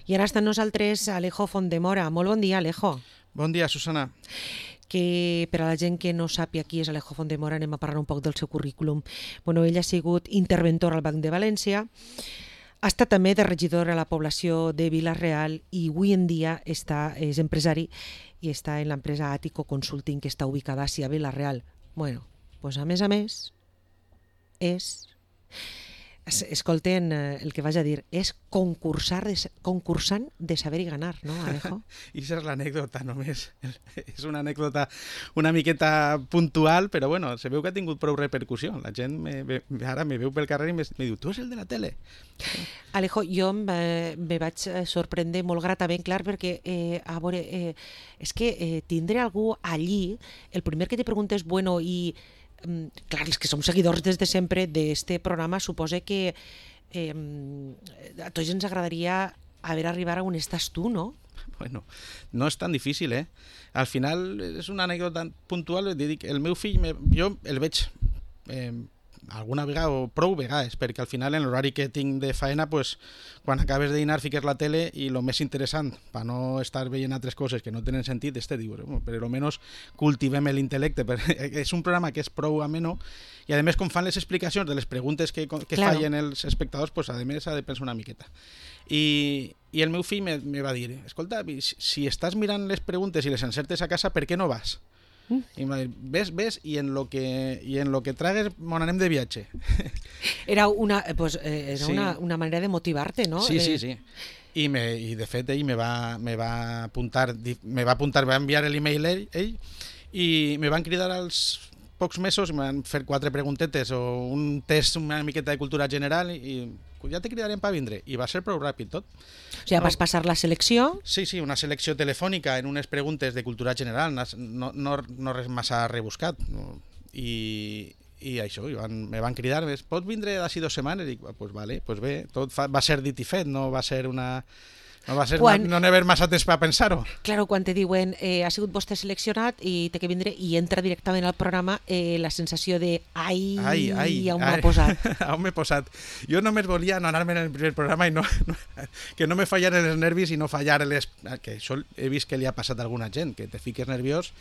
I ara està amb nosaltres Alejo Fontdemora. Molt bon dia, Alejo. Bon dia, Susana. Que per a la gent que no sàpia qui és Alejo Fontdemora anem a parlar un poc del seu currículum. Bueno, ell ha sigut interventor al Banc de València, ha estat també de regidor a la població de Vila-real i avui en dia és empresari i està en l'empresa Àtico Consulting, que està ubicada a Vila-real. Bueno, doncs a més, escolten el que vaig a dir, és concursant de saber i ganar, no, Alejo? I aquesta és l'anècdota només. És una anècdota una miqueta puntual, però bueno, se veu que ha tingut prou repercussió. La gent ara me veu pel carrer i me diu, tu és el de la tele? Alejo, jo me vaig sorprendre molt gratament, clar, perquè a veure, és que tindre algú allí, el primer que te pregunta és, bueno, i clar, els que som seguidors des de sempre d'este programa, suposa que a tots ens agradaria haver arribat a on estàs tu, no? Bueno, no és tan difícil, eh? Al final és una anècdota puntual, dic, el meu fill, jo el veig alguna vegada o prou vegades, perquè al final en l'horari que tinc de faena, pues, quan acabes de dinar fiques la tele i el més interessant, per no estar veient altres coses que no tenen sentit, dius, per almenys cultivem l'intel·lecte. És un programa que és prou ameno i a més com fan les explicacions de les preguntes que fallen els espectadors, pues, a més ha de pensar una miqueta. I el meu fill me va dir, escolta, si estàs mirant les preguntes i les encertes a casa, per què no vas? I ves i en lo que tragues mon anem de viatge. Era una manera de motivar-te, no? Sí. I de fet ell me va apuntar, va enviar l'email ell i me van cridar als pocs mesos i me van fer 4 preguntetes o un test una miqueta de cultura general i ja te cridarem per vindre. I va ser prou ràpid tot. O sigui, vas passar la selecció? Sí, una selecció telefònica en unes preguntes de cultura general, no res massa rebuscat. I això, me van cridar, pots vindre d'ací 2 setmanes? I dic, pues vale, pues bé, tot va ser dit i fet, no va ser no haver massa temps per pensar-ho. Claro, quan te diuen ha sigut vostè seleccionat i té que vindre i entra directament al programa, la sensació de on m'ha posat. On m'he posat. Jo només volia no anar-me en el primer programa i que no me fallaren els nervis i no fallar que això he vist que li ha passat a alguna gent, que te fiques nerviós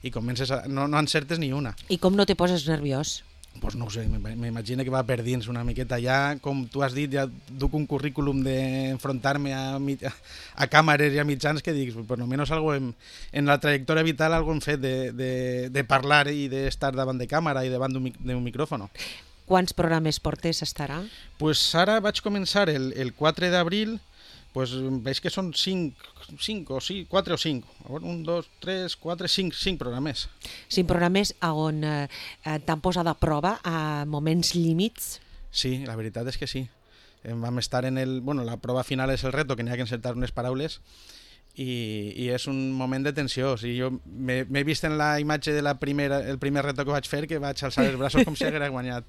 i comences no encertes ni una. I com no te poses nerviós? Pues no ho sé, m'imagino que va per dins una miqueta. Ja, com tu has dit, ja duc un currículum d'enfrontar-me a càmeres i a mitjans que dic, per almenys algo en la trajectòria vital algo hem fet de parlar i d'estar davant de càmera i davant d'un micròfon. Quants programes portes estarà? Pues ara vaig començar el 4 d'abril, pues veig que són 4 o 5. 1, 2, 3, 4, 5 programes. 5 programes on t'han posat a prova a moments límits? Sí, la veritat és que sí. Vam estar la prova final és el reto, que n'hi ha que encertar unes paraules i és un moment de tensió. O sigui, jo m'he vist en la imatge de el primer reto que vaig fer, que vaig alçar els braços com si hagués guanyat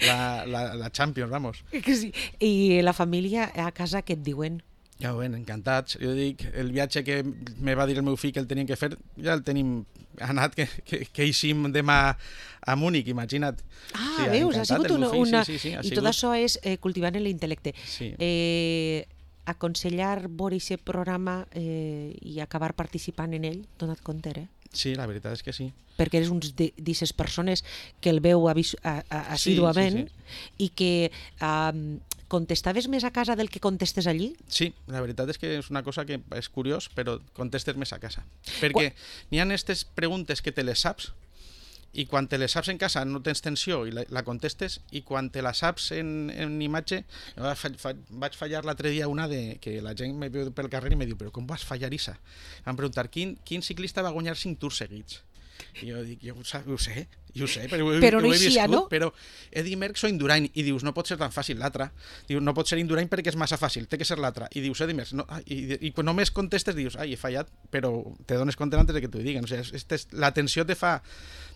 la Champions, vamos. Sí. I la família a casa què et diuen? Ja ho ven, encantats. Jo dic, el viatge que me va dir el meu fill que el teníem que fer, ja el tenim anat, que eixim demà a Múnich, imagina't. Sí, veus, ha sigut una... Sí, I tot això és cultivant l'intel·lecte. Sí. Aconsellar veure aquest programa i acabar participant en ell, dona't compte, Sí, la veritat és que sí. Perquè eres una d'aquestes persones que el veu assíduament i que contestaves més a casa del que contestes allí? Sí, la veritat és que és una cosa que és curiós, però contestes més a casa. Perquè n'hi ha aquestes preguntes que te les saps i quan te les saps en casa no tens tensió i la contestes, i quan te la saps en imatge, vaig fallar l'altre dia una que la gent me veu pel carrer i me diu, però com vas fallar Isa? Em preguntar, quin ciclista va guanyar 5 tours seguits? I jo dic, jo ho sé, però ho he viscut, no? Però Eddy Merckx o Indurain, i dius, no pot ser tan fàcil l'altre. Diu, no pot ser Indurain perquè és massa fàcil, té que ser l'altre. I dius, Eddy Merckx, no, i quan només contestes dius, he fallat, però te dones compte antes de que t'ho diguen. O sigui, la tensió te fa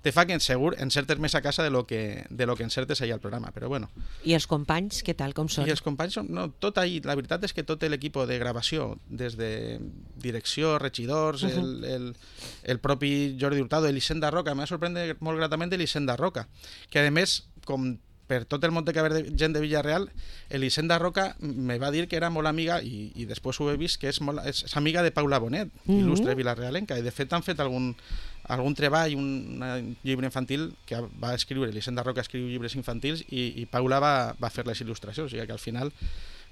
que segur encertes més a casa de lo que encertes allà al programa, però bueno. I els companys, què tal, com són? I els companys són, tot ahí, la veritat és que tot l'equip de gravació, des de direcció, regidors, el propi Jordi Hurtado, Elisenda Roca, m'ha sorprès molt gratament Elisenda Roca, que a més, com per tot el món que ve gent de Villarreal, Elisenda Roca me va dir que era molt amiga, i després ho he vist, que és amiga de Paula Bonet, il·lustre vilarrealenca, i de fet han fet algun treball, un llibre infantil que va escriure, Elisenda Roca escriu llibres infantils i Paula va fer les il·lustracions, o sigui que al final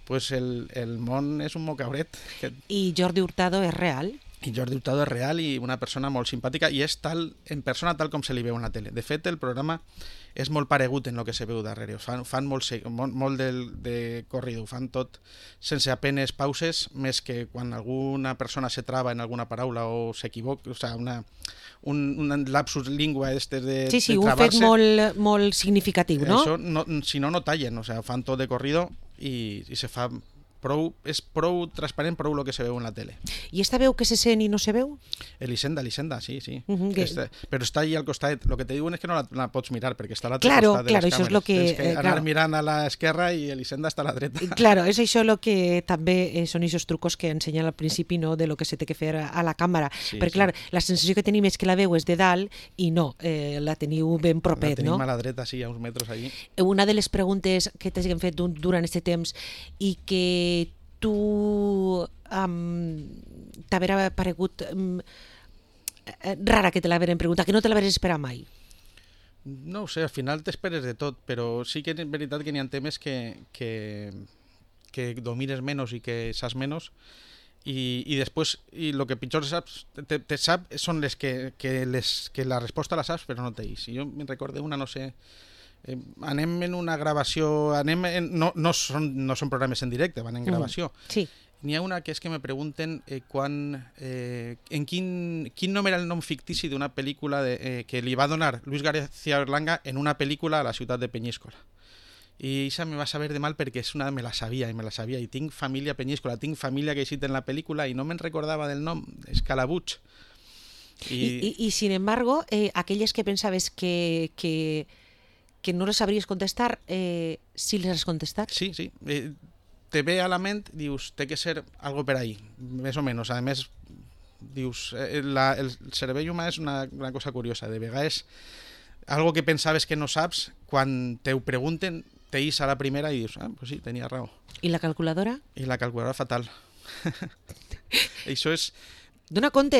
pues el món és un mocabret. I Jordi Hurtado és real? I Jordi Hurtado és real i una persona molt simpàtica i és en persona tal com se li veu en la tele. De fet, el programa és molt paregut en el que se veu darrere. Fan molt de corrido, fan tot sense apenes pauses, més que quan alguna persona se trava en alguna paraula o s'equivoca, o sigui, un lapsus lingua de un fet molt significatiu, no? Això, si no tallen, o sigui, fan tot de corrido i se fa és prou transparent, prou el que se veu en la tele. I esta veu que se sent i no se veu? Elisenda, sí. Però està allà al costat. El que te diuen és que no la pots mirar, perquè està a l'altre costat de les càmeres. Això és tens que anar mirant a l'esquerra i Elisenda està a la dreta. Claro, és això el que també són aquests trucos que ensenyen al principi, no?, de lo que se té que fer a la càmera. Perquè, clar, la sensació que tenim és que la veu és de dalt i no, la teniu ben propet, no? La tenim a la dreta, sí, a uns metres allí. Una de les preguntes que t'hagin fet durant aquest temps i que tu t'haver paregut rara que te l'haveren preguntat, que no te l'haveres esperat mai? No ho sé, al final t'esperes de tot, però sí que és veritat que n'hi ha temes que domines menys i que saps menys i després, el que pitjor saps són les que la resposta la saps però no t'eix. Jo me'n recordo una, no sé, anem en una gravació, no són programes en directe, van en gravació. Sí. N'hi ha una que és que me pregunten en quin nom era el nom fictici d'una pel·lícula que li va donar Luis García Berlanga en una pel·lícula a la ciutat de Peñíscola. I això me va saber de mal perquè me la sabia, i tinc família a Peñíscola, tinc família que he en la pel·lícula i no me'n recordava del nom, Escalabuig. I sin embargo, aquelles que pensaves que no les sabries contestar, sí les has contestat? Sí. Te ve a la ment, dius, té que ser algo per ahí, més o menys. A més, dius, el cervell humà és una cosa curiosa. De vegades, algo que pensaves que no saps, quan te ho pregunten, t'eix a la primera i dius, pues sí, tenia raó. I la calculadora? I la calculadora fatal. Això és... Dona compte,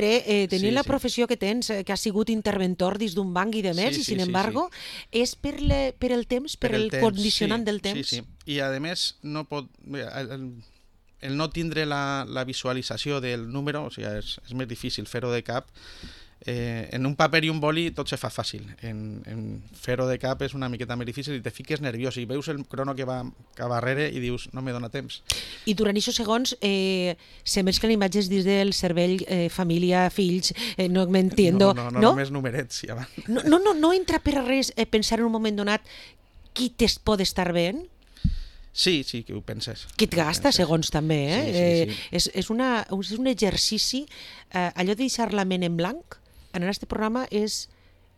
tenint la professió que tens, que has sigut interventor dins d'un banc i de més, i sin embargo, és per el temps, per el condicionant del temps. Sí. I a més, no pot... El no tindre la visualització del número, o sigui, és més difícil fer-ho de cap. En un paper i un boli tot se fa fàcil. En fer-ho de cap és una miqueta més difícil i te fiques nerviós i veus el crono que va darrere i dius, no me dona temps. I durant aquests segons se mesclen imatges dins del cervell, família, fills, no m'entiendo. No, només numerets. Ja no entra per res pensar en un moment donat qui pot estar veient? Sí, que ho penses. Que et gasta, segons també, Sí. És un exercici, allò de deixar la ment en blanc, en aquest programa és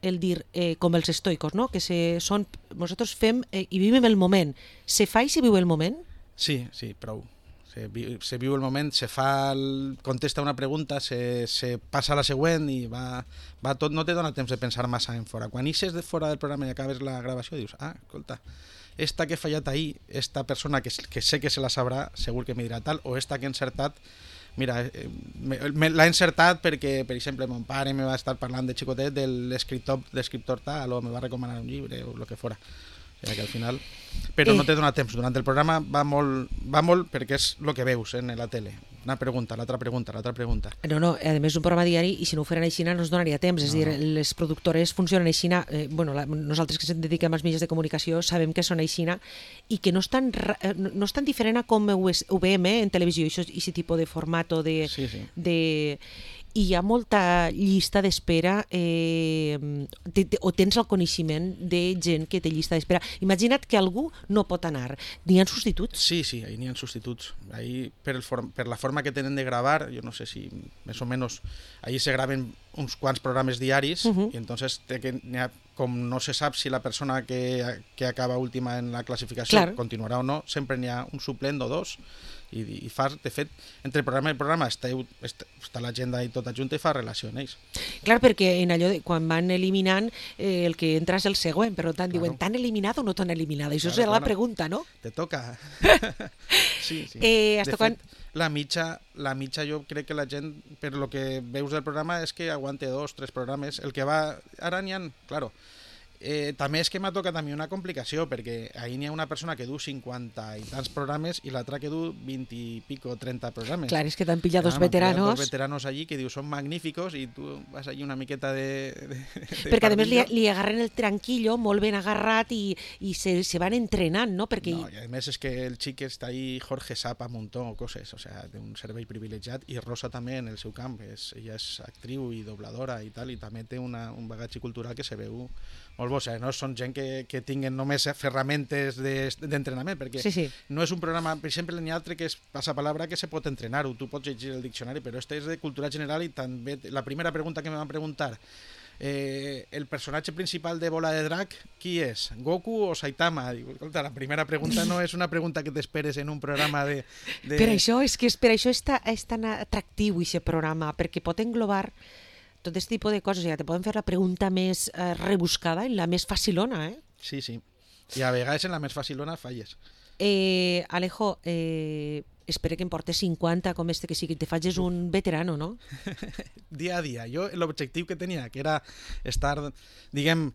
el dir, com els estoicos, no? Que nosaltres fem i vivim el moment. Se fa i se viu el moment? Sí, prou. Se viu el moment, contesta una pregunta, se passa a la següent i va tot, no te dona temps de pensar massa en fora. Quan ixes de fora del programa i acabes la gravació dius, escolta, esta que he fallat ahir, esta persona que sé que se la sabrà, segur que me dirà tal, o esta que he encertat, mira, l'ha encertat perquè, per exemple, mon pare me va estar parlant de xicotet de l'escriptor tal, o me va recomanar un llibre, o el que fora. O sigui que al final... Però no te dona temps. Durant el programa va molt perquè és el que veus en la tele. Una pregunta, l'altra pregunta. No, a més és un programa diari i si no ho feren així no ens donaria temps. És a dir, les productores funcionen així. Nosaltres que ens dediquem als mitjans de comunicació sabem que són així i que no és tan diferent a com ho veiem en televisió, aquest tipus de format o de... Sí. I hi ha molta llista d'espera o tens el coneixement de gent que té llista d'espera. Imagina't que algú no pot anar. N'hi ha substituts? Sí, ahí n'hi ha substituts. Ahí, per la forma que tenen de gravar, jo no sé si més o menys, ahí se graven uns quants programes diaris i entonces com no se sap si la persona que acaba última en la classificació continuarà o no, sempre n'hi ha un suplent o dos I fas, de fet, entre programa i programa està l'agenda i tota junta i fa relació amb ells. Clar, perquè en allò quan van eliminant el que entra és el següent, per tant diuen, ¿t'han eliminat o no t'han eliminat? Això serà la pregunta, no? Te toca. Sí. De fet, la mitja jo crec que la gent, per lo que veus del programa, és que aguante 2-3 programes. El que va... Ara n'hi ha... Claro, també és que m'ha tocat a mi una complicació, perquè ahir n'hi ha una persona que du 50 i tants programes i l'altra que du 20 i pico, 30 programes. Clar, és que t'han pillat dos veteranos. Dos veteranos allí que diu són magníficos i tu vas allí una miqueta de perquè a més li agarren el tranquillo molt ben agarrat i se van entrenant, no? Perquè... No, i a més és que el xic està ahí, Jorge sap a muntó coses, o sea, té un servei privilegiat, i Rosa també en el seu camp, ella és actriu i dobladora i tal, i també té un bagatge cultural que se veu molt bo, o sigui, no són gent que tinguen només ferramentes d'entrenament, perquè no és un programa, per exemple, n'hi ha altre que és passapalabra que se pot entrenar, o tu pots llegir el diccionari, però este és de cultura general i també la primera pregunta que me van preguntar, el personatge principal de Bola de Drac, qui és? Goku o Saitama? Dic, escolta, la primera pregunta no és una pregunta que t'esperes en un programa de... Per això és tan atractiu aquest programa, perquè pot englobar tot aquest tipus de coses, ja te poden fer la pregunta més rebuscada i la més facilona, eh? Sí. I a vegades en la més facilona falles. Alejo, espero que em portes 50 com este que sí que te faig un veterano, no? Dia a dia. Jo l'objectiu que tenia, que era estar, diguem,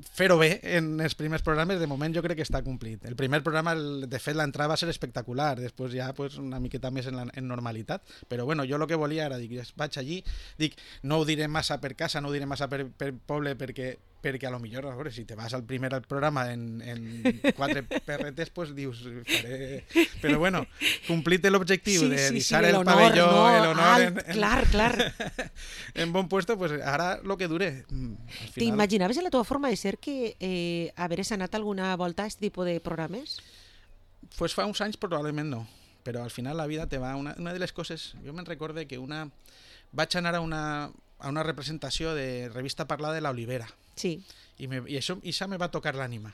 fer-ho bé en els primers programes, de moment jo crec que està complit. El primer programa, de fet, l'entrada va ser espectacular, després ja pues, una miqueta més en normalitat, però bueno, jo el que volia era, dic, vaig allí, dic, no ho diré massa per casa, no ho diré massa per poble, perquè a lo millor, a veure, si te vas al primer programa en 4 perretes, pues dius, faré... Però bueno, complit l'objectiu de deixar el pavelló, el honor... Clar. En bon puesto, pues ara lo que dure. T'imaginaves en la teva forma de ser que haveres anat alguna volta a aquest tipus de programes? Pues fa uns anys probablement no, però al final la vida te va... Una de les coses, jo me'n recorde que vaig anar a una representació de Revista Parlar de la Olivera. Sí. I això me va tocar l'ànima,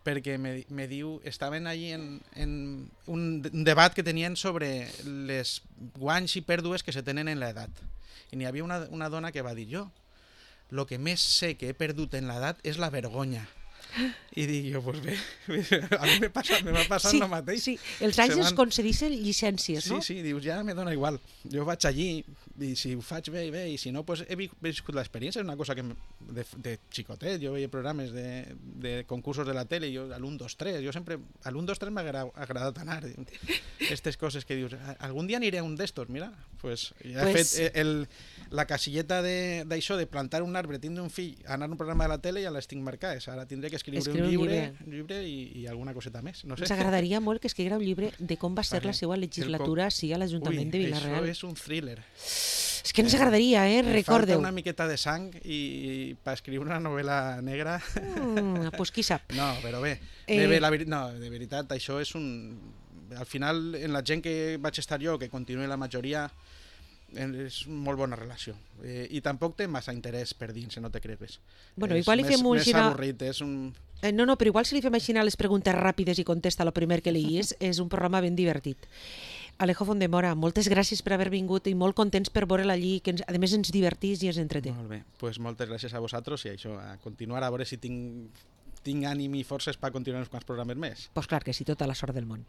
perquè me diu, estaven allí en un debat que tenien sobre les guanys i pèrdues que se tenen en l'edat. I n'hi havia una dona que va dir, jo, lo que més sé que he perdut en l'edat és la vergonya. I dic jo, pues bé, a mi m'ha passat el mateix. Sí, els anys es concedeixen llicències, no? Sí, dius, ja me dona igual. Jo vaig allí, i si ho faig bé, i si no, pues he viscut l'experiència, és una cosa que de xicotet, jo veia programes de concursos de la tele, jo a l'1, 2, 3, jo sempre, a l'1, 2, 3 m'ha agradat anar. Aquestes coses que dius, algun dia aniré a un d'estos, mira, pues ja he fet la casilleta d'això, de plantar un arbre, tindre un fill, anar a un programa de la tele, ja les tinc marcades, ara tindré que escriure un llibre i alguna coseta més. No sé. Ens agradaria molt que escriguera un llibre de com va ser la seva legislatura a l'Ajuntament de Vila-real. Això és un thriller. És que ens agradaria, recordeu. Falta una miqueta de sang i per escriure una novel·la negra... Pues qui sap. No, però bé. De veritat, això és un... Al final, en la gent que vaig estar jo, que continua la majoria, és molt bona relació. I tampoc té massa interès per dins, no te cregues. Bueno, igual li fem un... És avorrit, és un... No, però igual si li fem així les preguntes ràpides i contesta el primer que leguis, és un programa ben divertit. Alejo Fondemora, moltes gràcies per haver vingut i molt contents per veure'l allí, que a més ens divertís i ens entreté. Molt bé, pues moltes gràcies a vosaltres i això, a continuar a veure si tinc ànim i forces per continuar uns quants programes més. Pues clar que sí, tota la sort del món.